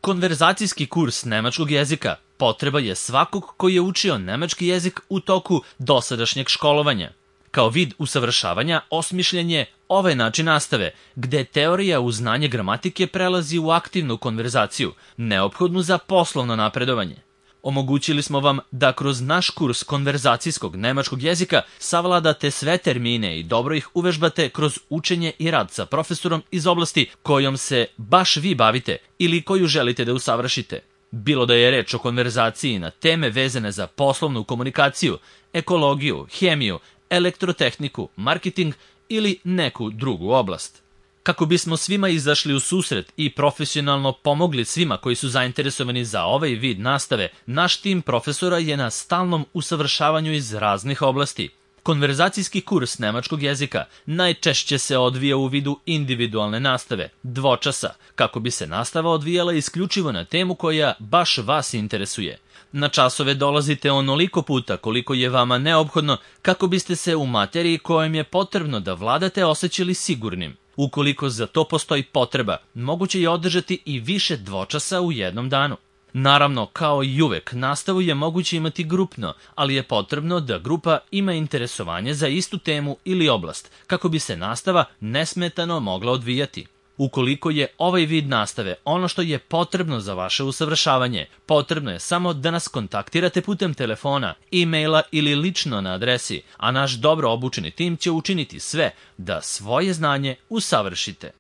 Konverzacijski kurs nemačkog jezika potreba je svakog koji je učio nemački jezik u toku dosadašnjeg školovanja. Kao vid usavršavanja osmišljen je ovaj način nastave, gde teorija uz znanje gramatike prelazi u aktivnu konverzaciju, neophodnu za poslovno napredovanje. Omogućili smo vam da kroz naš kurs konverzacijskog nemačkog jezika savladate sve termine i dobro ih uvežbate kroz učenje i rad sa profesorom iz oblasti kojom se baš vi bavite ili koju želite da usavršite. Bilo da je reč o konverzaciji na teme vezane za poslovnu komunikaciju, ekologiju, hemiju, elektrotehniku, marketing ili neku drugu oblast. Kako bismo svima izašli u susret i profesionalno pomogli svima koji su zainteresovani za ovaj vid nastave, naš tim profesora je na stalnom usavršavanju iz raznih oblasti. Konverzacijski kurs nemačkog jezika najčešće se odvija u vidu individualne nastave, dvočasa, kako bi se nastava odvijala isključivo na temu koja baš vas interesuje. Na časove dolazite onoliko puta koliko je vama neophodno kako biste se u materiji kojom je potrebno da vladate osjećali sigurnim. Ukoliko za to postoji potreba, moguće je održati i više dvočasa u jednom danu. Naravno, kao i uvek, nastavu je moguće imati grupno, ali je potrebno da grupa ima interesovanje za istu temu ili oblast, kako bi se nastava nesmetano mogla odvijati. Ukoliko je ovaj vid nastave ono što je potrebno za vaše usavršavanje, potrebno je samo da nas kontaktirate putem telefona, e-maila ili lično na adresi, a naš dobro obučeni tim će učiniti sve da svoje znanje usavršite.